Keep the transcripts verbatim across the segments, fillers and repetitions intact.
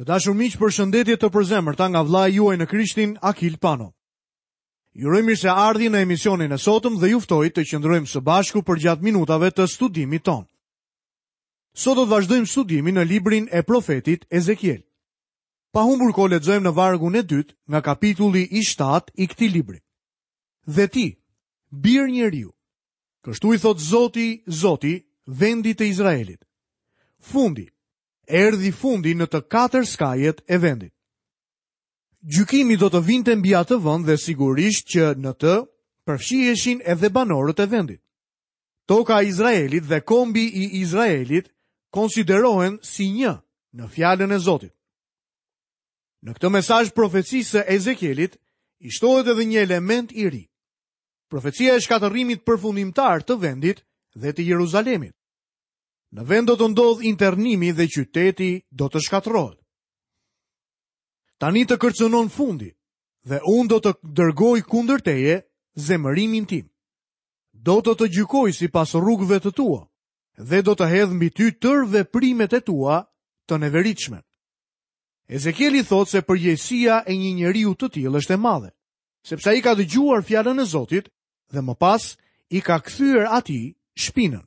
Të dashur miq, përshëndetje të përzemërta nga vëllai juaj në Krishtin, Akil Pano. Ju uroj mirëseardhje në emisionin e sotëm dhe ju ftoj të qëndrojmë së bashku përgjatë minutave të studimit tonë. Sot do të vazhdojmë studimin në librin e profetit Ezekiel. Pa humbur kohë lexojmë në vargun e dytë nga kapitulli i shtatë i këtij libri. Dhe ti, bir njeriu, kështu i thotë Zoti, Zoti, vendit të Izraelit. Fundi, erdhi fundi në të katër skajet e vendit. Gjykimi do të vinte mbi atë vend dhe sigurisht që në të përfshiheshin edhe banorët e vendit. Toka e Izraelit dhe kombi i Izraelit konsiderohen si një në fjalën e Zotit. Në këtë mesazh profecisë së Ezekielit i shtohet edhe një element i ri. Profecia e shkatërrimit përfundimtar të vendit dhe të Jeruzalemit. Në vend do të ndodhë internimi dhe qyteti do të shkatërrohet. Tani të kërcënon fundi dhe unë do të dërgoj kundër teje zemërimin tim. Do të të gjykoj sipas rrugëve të tua dhe do të hedh mbi ty tërë veprimet e tua të neveritshme. Ezekieli thotë se përgjegjësia e një njeriu të tillë është e madhe, sepse ai ka dëgjuar fjalën e Zotit dhe më pas i ka kthyer atij shpinën.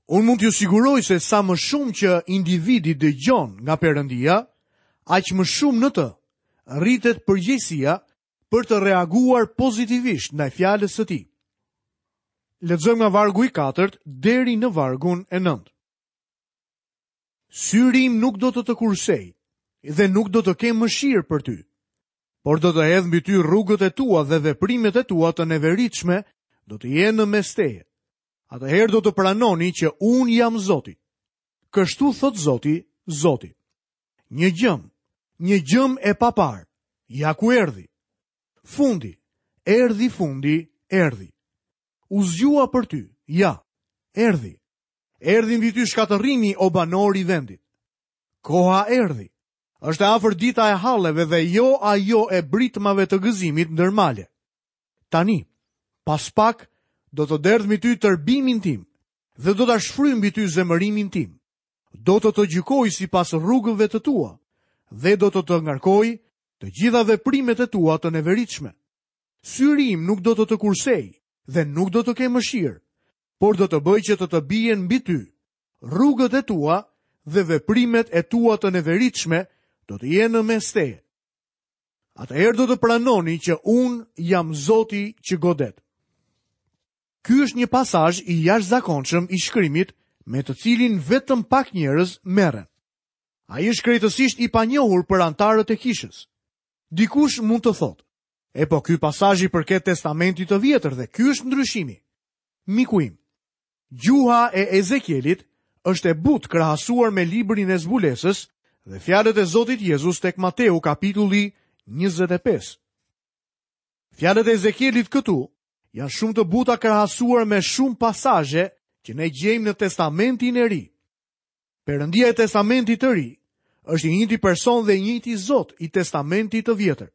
Unë mund t'ju siguroj se sa më shumë që individi dëgjon nga Perëndia, aq më shumë në të rritet përgjegjësia për të reaguar pozitivisht ndaj fjalës së tij. Lexojmë nga vargu i katërt deri në vargun e nëntë. Syri im nuk do të të kursej dhe nuk do të kem mëshirë për ty, por do të hedh mbi ty rrugët e tua dhe veprimet e tua të neveritshme do të jenë në mes teje. Atëherë do të pranoni që unë jam Zoti. Kështu thot Zoti, Zoti. Një gjëm, një gjëm e papar, ja ku erdhi. Fundi, erdhi fundi, erdhi. U zgjua për ty, ja, erdhi. Erdhi mbi ty shkatërrimi, o banor i vendit. Koha erdhi. Është e afër dita e halleve dhe jo ajo e britmave të gëzimit ndër male. Tani, pas pak, do të derdh mbi ty tërbimin tim dhe do ta shfryj mbi ty zemërimin tim. Do të të gjykoj sipas rrugëve të tua dhe do të të ngarkoj të gjitha veprimet e tua të neveritshme. Syri im nuk do të të kursej dhe nuk do të kem mëshirë, por do të bëj që të të bien mbi ty rrugët e tua dhe veprimet e tua të neveritshme do të jenë në mes teje. Atëherë do të pranoni që unë jam Zoti që godet. Ky është një pasazh i jashtëzakonshëm i shkrimit me të cilin vetëm pak njerëz merren. Ai është krejtësisht i panjohur për anëtarët e kishës. Dikush mund të thotë, e po ky pasazh i përket Testamentit të Vjetër dhe ky është ndryshimi. Miku im, gjuha e Ezekielit është e butë krahasuar me librin e zbulesës dhe fjalët e Zotit Jezus tek Mateu kapitulli njëzet e pesë. Fjalët e Ezekielit këtu janë shumë të buta krahasuar me shumë pasazhe që ne gjejmë në Testamentin e Ri. Perëndia e Testamentit të Ri është i njëjti person dhe i njëjti Zot i Testamentit të Vjetër.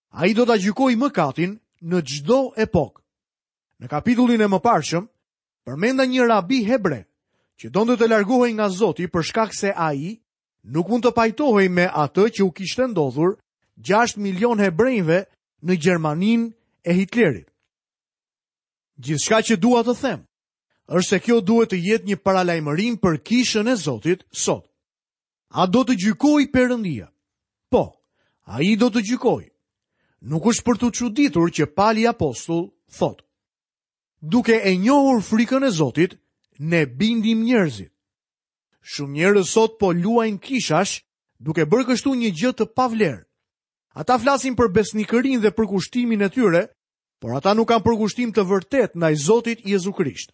Ai do ta gjykojë mëkatin në çdo epokë. Në kapitullin e mëparshëm, përmenda një rabi hebre që donte të largohej nga Zoti për shkak se ai nuk mund të pajtohej me atë që u kishte ndodhur gjashtë milion hebrejve në Gjermaninë e Hitlerit. Gjithçka që dua të them është se kjo duhet të jetë një paralajmërim për kishën e Zotit sot. A do të gjykojë Perëndia? Po, ai do të gjykojë. Nuk është për t'u çuditur që Pali apostull thotë: Duke e njohur frikën e Zotit, ne bindim njerëzit. Shumë njerëz sot po luajnë kishash, duke bërë kështu një gjë të pavlerë. Ata flasin për besnikërinë dhe përkushtimin e tyre, por ata nuk kanë përkushtim të vërtetë ndaj Zotit Jezu Krisht.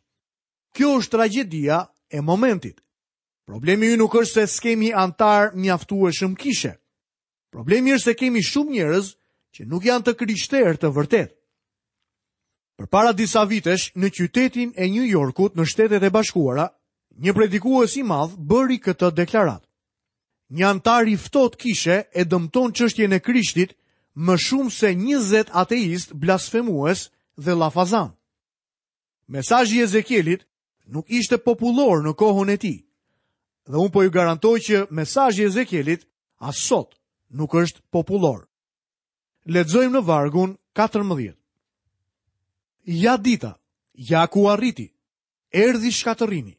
Kjo është tragjedia e momentit. Problemi ynë nuk është se s'kemi antar mjaftueshëm kishe. Problemi është se kemi shumë njerëz që nuk janë të krishterë të vërtetë. Përpara disa vitesh, në qytetin e New Yorkut në Shtetet e Bashkuara, një predikues i madh bëri këtë deklaratë. Një antar i ftohtë kishe e dëmton çështjen e Krishtit më shumë se njëzet ateist blasfemues dhe llafazan. Mesazhi i Ezekielit nuk ishte popullor në kohën e tij. Dhe unë po ju garantoj që mesazhi i Ezekielit as sot nuk është popullor. Lexojmë në vargun katërmbëdhjetë. Ja dita, ja ku arriti, erdhi shkatërrimi,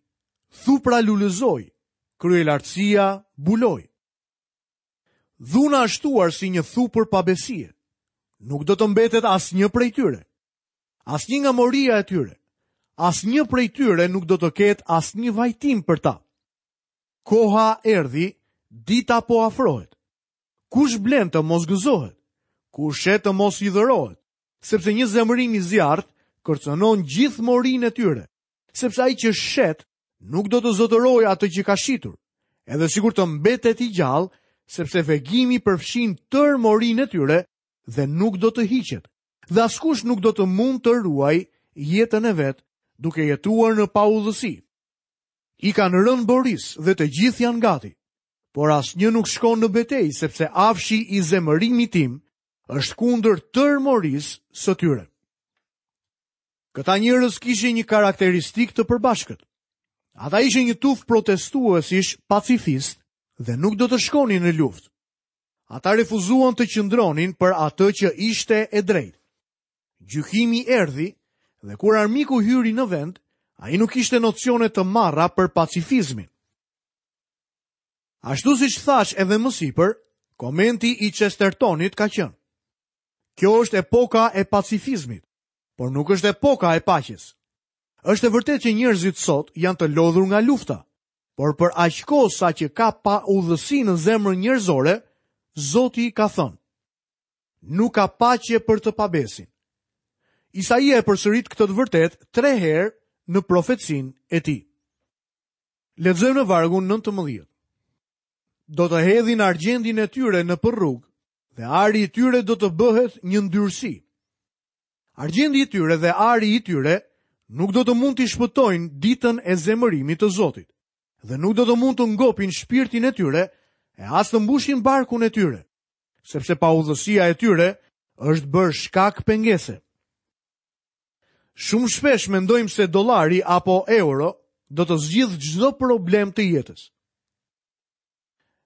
thupra lulëzoi, kryelartësia buloi. Dhuna është shtuar si një thupër pabesie. Nuk do të mbetet asnjë prej tyre. Asnjë nga moria e tyre. Asnjë prej tyre nuk do të ketë asnjë vajtim për ta. Koha erdhi, dita po afrohet. Kush blen të mos gëzohet, kush shet të mos hidhërohet, sepse një zemërim i zjarrt kërcënon gjithë morinë e tyre, sepse ai që shet nuk do të zotërojë atë që ka shitur, edhe sikur të mbetet i gjallë, sepse vegimi përfshin tërë morinë e tyre dhe nuk do të hiqet, dhe askush nuk do të mund të ruajë jetën e vet, duke jetuar në paudhësi. I kanë rënë boris dhe të gjithë janë gati, por asnjë nuk shkon në betejë, sepse afshi i zemërimit tim është kundër tërë morisë së tyre. Këta njerëz kishin një karakteristikë të përbashkët. Ata ishin një tufë protestuesish pacifist dhe nuk do të shkonin në luftë. Ata refuzuan të qëndronin për atë që ishte e drejtë. Gjykimi erdhi dhe kur armiku hyri në vend, ai nuk kishte nocione të marra për pacifizmin. Ashtu siç thash edhe më sipër, komenti i Chestertonit ka qenë: Kjo është epoka e pacifizmit, por nuk është epoka e paqes. Është e vërtetë që njerëzit sot janë të lodhur nga lufta, por për aq kohë sa që ka paudhësi në zemrën njerëzore, Zoti ka thënë: Nuk ka paqe për të pabesin. Isaia e përsërit këtë të vërtetë tre herë në profecinë e tij. Lexojmë në vargun nëntëmbëdhjetë. Do të hedhin argjendin e tyre në përrugë dhe ari i tyre do të bëhet një ndyrësi. Argjendi i tyre dhe ari i tyre nuk do të mund t'i shpëtojnë ditën e zemërimit të Zotit dhe nuk do të mund të ngopin shpirtin e tyre e as të mbushin barkun e tyre, sepse paudhësia e tyre është bërë shkak pengese. Shumë shpesh mendojmë se dollari apo euro do të zgjidhë çdo problem të jetës.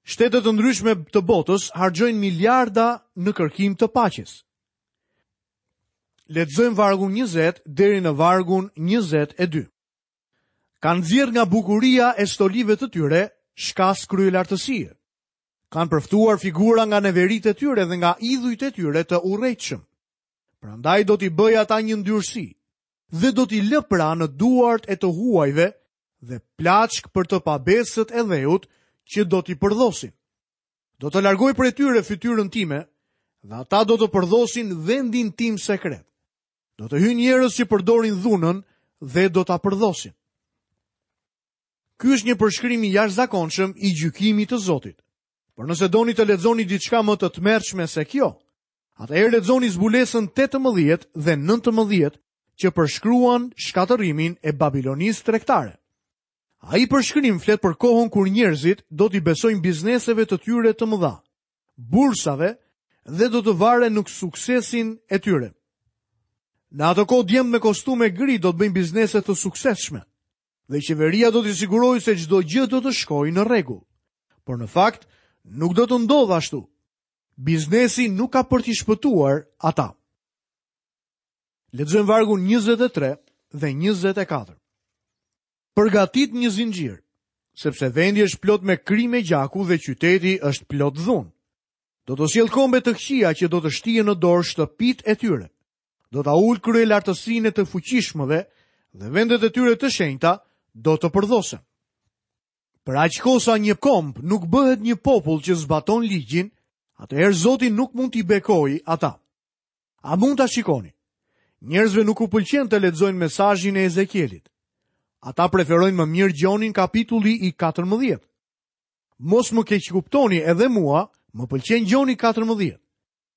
Shtete të ndryshme të botës harxojnë miliarda në kërkim të paqes. Lexojmë vargun njëzet deri në vargun njëzet e dy. Kanë nxjerrë nga bukuria e stolive të tyre shkas kryelartësie. Kanë përftuar figura nga neveritë e tyre dhe nga idhujt e tyre të urrejtshëm. Prandaj do t'i bëj ata një ndyrësi dhe do t'i lë pra në duart e të huajve dhe plaçk për të pabesët e dheut që do t'i përdhosin. Do të largoj prej tyre fytyrën time dhe ata do të përdhosin vendin tim sekret. Do të hyjnë njerëz që përdorin dhunën dhe do ta përdhosin. Ky është një përshkrim i jashtëzakonshëm i gjykimit të Zotit. Por nëse doni të lexoni diçka më të tmerrshme se kjo, atëherë lexoni zbulesën tetëmbëdhjetë dhe nëntëmbëdhjetë që përshkruan shkatërrimin e Babilonisë tregtare. Ai përshkrim flet për kohën kur njerëzit do t'i besojnë bizneseve të tyre të mëdha, bursave dhe do të varen në suksesin e tyre. Në atë kohë djemt me kostume gri do të bëjnë biznese të suksesshme dhe qeveria do t'i sigurojë se çdo gjë do të shkojë në rregull. Por në fakt nuk do të ndodhë ashtu. Biznesi nuk ka për t'i shpëtuar ata. Lexojmë vargun njëzet e tre dhe njëzet e katër. Përgatit një zinxhir, sepse vendi është plot me krime gjaku dhe qyteti është plot dhunë. Do të sjell kombe të këqija që do të shtien në dorë shtëpitë e tyre. Do ta ul kryelartësinë e të fuqishmëve dhe vendet e tyre të shenjta do të përdhosen. Për aq kohë sa një komb nuk bëhet një popull që zbaton ligjin, atëherë Zoti nuk mund t'i bekojë ata. A mund ta shikoni? Njerëzve nuk u pëlqen të lexojnë mesazhin e Ezekielit. Ata preferojnë më mirë Gjonin kapitulli i katërmbëdhjetë. Mos më keqkuptoni, edhe mua më pëlqen Gjoni katërmbëdhjetë.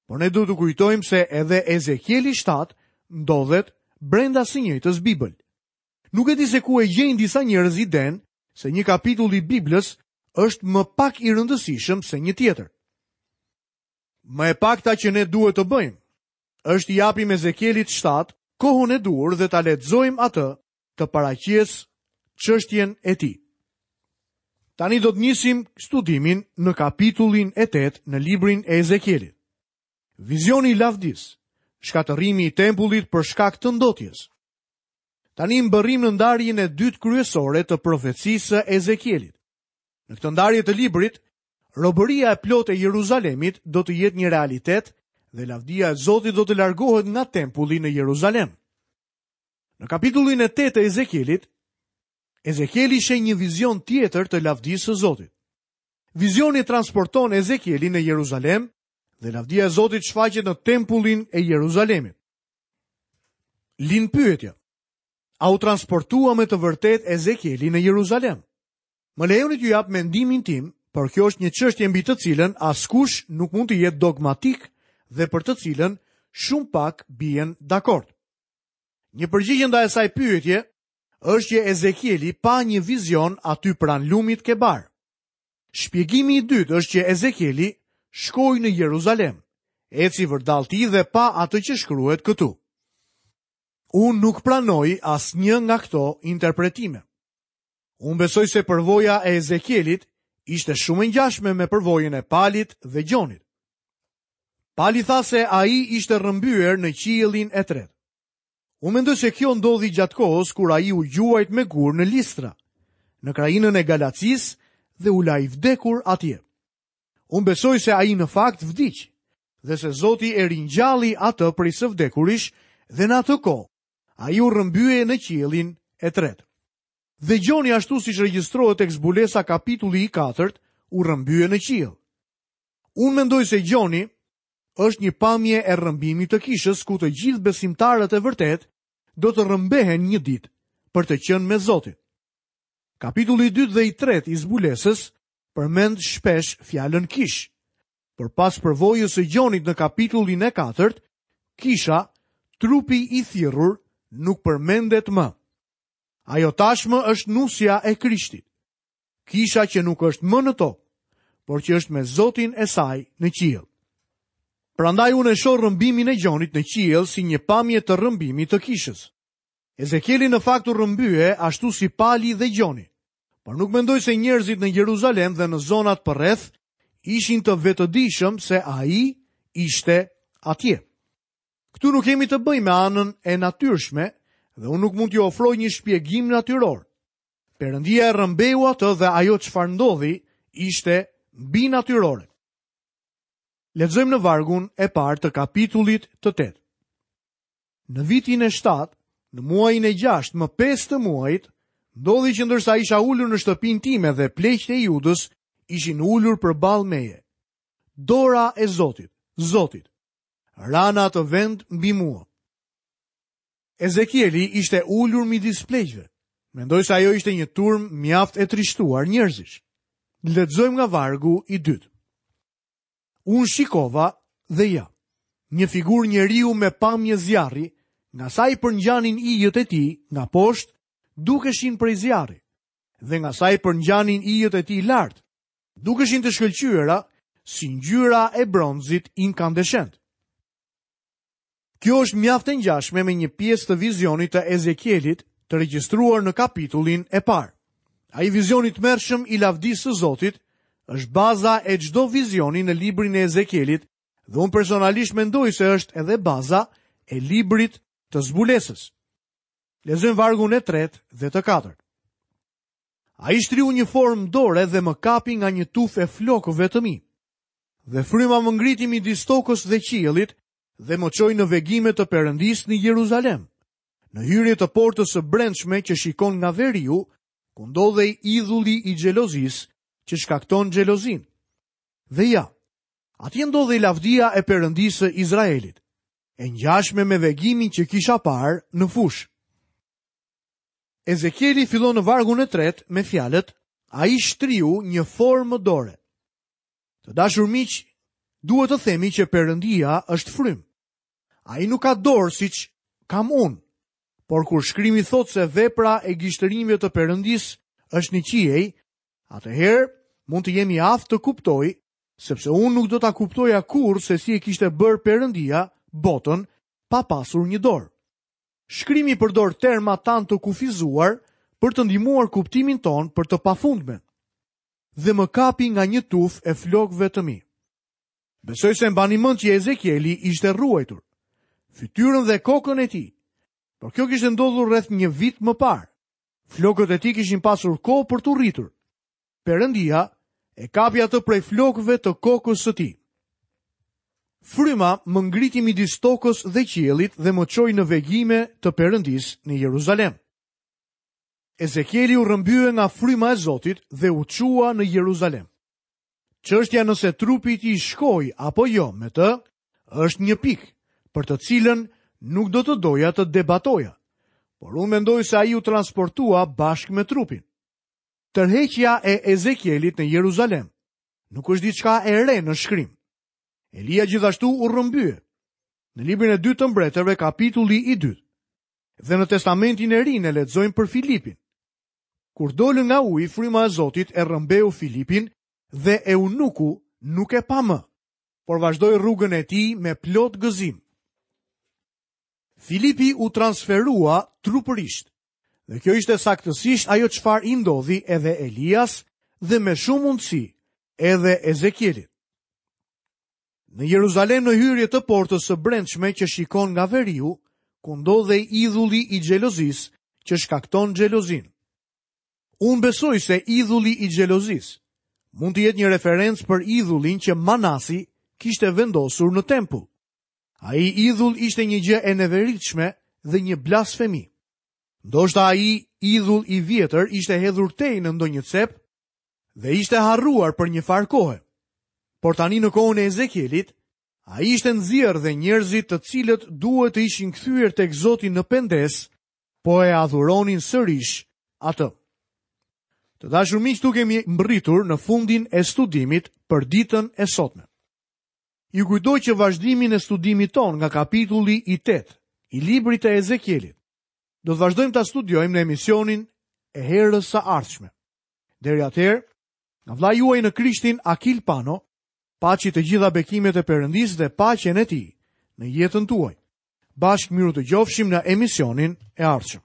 Por ne duhet të kujtojmë se edhe Ezekieli shtatë ndodhet brenda së njëjtës Bibël. Nuk e di se ku e gjejnë disa njerëz idenë se një kapitull i Biblës është më pak i rëndësishëm se një tjetër. Më e pakta që ne duhet të bëjmë është i japim Ezekielit shtatë kohën e duhur dhe ta lexojmë atë të paraqes çështjen e tij. Tani do të nisim studimin në kapitullin e tetë në librin e Ezekielit. Vizioni i lavdisë, shkatërrimi i tempullit për shkak të ndotjes. Tani mbërrim në ndarjen e dytë kryesore të profecisë së Ezekielit. Në këtë ndarje të librit, robëria e plotë e Jeruzalemit do të jetë një realitet dhe lavdia e Zotit do të largohet nga tempulli në Jeruzalem. Në kapitullin e tetë të Ezekielit, Ezekieli sheh një vizion tjetër të lavdisë së Zotit. Vizioni transporton Ezekielin në Jeruzalem dhe lavdia e Zotit shfaqet në tempullin e Jeruzalemit. Lind pyetja: a u transportua me të vërtetë Ezekieli në Jeruzalem? Më lejoni t'ju jap mendimin tim, por kjo është një çështje mbi të cilën askush nuk mund të jetë dogmatik dhe për të cilën shumë pak bien dakord. Një përgjigje ndaj asaj pyetje është që Ezekieli pa një vizion aty pranë lumit Kebar. Shpjegimi i dytë është që Ezekieli shkoi në Jeruzalem, eci vërdall tij dhe pa atë që shkruhet këtu. Unë nuk pranoj asnjë nga këto interpretime. Unë besoj se përvoja e Ezekielit ishte shumë e ngjashme me përvojën e Palit dhe Gjonit. Pali tha se ai ishte rrëmbyer në qiellin e tretë. Unë mendoj se kjo ndodhi gjatë kohës kur ai u gjuajt me gur në Listra, në krahinën e Galacisë dhe u la i vdekur atje. Unë besoj se ai në fakt vdiq dhe se Zoti e ringjalli atë prej së vdekurish dhe në atë kohë ai u rrëmbye në qiellin e tretë. Dhe Gjoni, ashtu siç regjistrohet tek zbulesa kapitulli i katërt, u rrëmbye në qiell. Unë mendoj se Gjoni është një pamje e rrëmbimit të kishës ku të gjithë besimtarët e vërtetë do të rrëmbehen një ditë për të qenë me Zotin. Kapitulli i dytë dhe i tretë i zbulesës përmend shpesh fjalën kish. Por pas përvojës së Gjonit në kapitullin e katërt, kisha, trupi i thirrur, nuk përmendet më. Ajo tashmë është nusja e Krishtit. Kisha që nuk është më në tokë, por që është me Zotin e saj në qiell. Prandaj unë e shoh rrëmbimin e Gjonit në qiell si një pamje të rrëmbimit të kishës. Ezekieli në fakt u rrëmbye ashtu si Pali dhe Gjoni, por nuk mendoj se njerëzit në Jeruzalem dhe në zonat përreth ishin të vetëdijshëm se ai ishte atje. Këtu nuk kemi të bëjmë me anën e natyrshme dhe unë nuk mund t'ju ofroj një shpjegim natyror. Perëndia e rrëmbeu atë dhe ajo çfarë ndodhi ishte mbinatyrore. Lexojmë në vargun e parë të kapitullit të tetë. Në vitin e shtatë, në muajin e gjashtë, më pesë të muajit, ndodhi që ndërsa isha ulur në shtëpinë time dhe pleqtë e Judës ishin ulur përballë meje. Dora e Zotit, Zotit, ra në atë vend mbi mua. Ezekieli ishte ulur midis pleqve. Mendoj se ajo ishte një turmë mjaft e trishtuar njerëzish. Lexojmë nga vargu i dytë. Unë shikova dhe ja, një figurë njeriu me pamje zjarri, nga sa i përngjanin ijët e tij nga poshtë, dukeshin prej zjarri, dhe nga sa i përngjanin ijët e tij lart, dukeshin të shkëlqyera si ngjyra e bronzit inkandeshent. Kjo është mjaft e ngjashme me një pjesë të vizionit të Ezekielit të regjistruar në kapitullin e parë. Ai vizion i tmerrshëm i lavdisë së Zotit është baza e çdo vizioni në librin e Ezekielit dhe unë personalisht mendoj se është edhe baza e librit të zbulesës. Lexojmë vargun e tretë dhe të katërt. Ai shtriu një formë dore dhe më kapi nga një tufë e flokëve të mi. Dhe fryma më ngriti midis tokës dhe qiellit dhe më çoi në vegime të Perëndisë në Jeruzalem, në hyrje të portës së brendshme që shikon nga veriu, ku ndodhej idhulli i xhelozisë që shkakton xhelozinë. Dhe ja, atje ndodhej lavdia e Perëndisë së Izraelit, e ngjashme me vegimin që kisha parë në fushë. Ezekieli fillon në vargun e tretë me fjalët: ai shtriu një formë dore. Të dashur miq, duhet të themi që Perëndia është frymë. Ai nuk ka dorë siç kam unë, por kur shkrimi thotë se vepra e gishtërimve të Perëndisë është në qiej, atëherë mund të jemi aftë të kuptoj, sepse unë nuk do ta kuptoja kurrë se si e kishte bërë Perëndia botën pa pasur një dorë. Shkrimi përdor terma tanë të kufizuar për të ndihmuar kuptimin ton për të pafundmen. dhe më kapi nga një tufë e flokëve të mi. Besoj se mbani mend që Ezekieli ishte rruajtur, fytyrën dhe kokën e tij. Por kjo kishte ndodhur rreth një vit më parë. Flokët e tij kishin pasur kohë për t'u rritur. Perëndia e kapi atë prej flokëve të kokës së tij. Fryma më ngriti midis tokës dhe qiellit dhe më çoi në vegime të Perëndisë në Jeruzalem. Ezekieli u rrëmbye nga fryma e Zotit dhe u çua në Jeruzalem. Çështja nëse trupi i tij shkoi apo jo me të është një pikë për të cilën nuk do të doja të debatoja, por unë mendoj se ai u transportua bashkë me trupin. Tërheqja e Ezekielit në Jeruzalem nuk është diçka e re në shkrim. Elia gjithashtu u rrëmbye. Në librin e dytë të mbretërve, kapitulli i dytë. Dhe në Testamentin e Ri ne lexojmë për Filipin. Kur dolën nga uji, fryma e Zotit e rrëmbeu Filipin dhe eunuku nuk e pa më, por vazhdoi rrugën e tij me plot gëzim. Filipi u transferua trupërisht. Dhe kjo ishte saktësisht ajo çfarë i ndodhi edhe Elias dhe me shumë mundësi edhe Ezekielit. Në Jeruzalem, në hyrje të portës së brendshme që shikon nga veriu, ku ndodhej idhulli i xhelozisë që shkakton xhelozinë. Unë besoj se idhulli i xhelozisë mund të jetë një referencë për idhullin që Manasi kishte vendosur në tempull. Ai idhull ishte një gjë e neveritshme dhe një blasfemi. Ndoshta ai idhull i vjetër ishte hedhur tej në ndonjë cep dhe ishte harruar për një farë kohe. Por tani në kohën e Ezekielit, ai ishte nxjerrë dhe njerëzit të cilët duhet të ishin kthyer tek Zoti në pendesë, po e adhuronin sërish atë. Të dashur miq, këtu kemi mbërritur në fundin e studimit për ditën e sotme. Ju kujtoj që vazhdimin e studimit ton nga kapitulli i tetë i librit të Ezekielit do të vazhdojmë ta studiojmë në emisionin e herës së ardhshme. Deri atëherë, nga vëllai juaj në Krishtin Akil Pano, paçi të gjitha bekimet e Perëndisë dhe paqen e tij në jetën tuaj. Bashkë miru të gjofshim në emisionin e ardhshëm.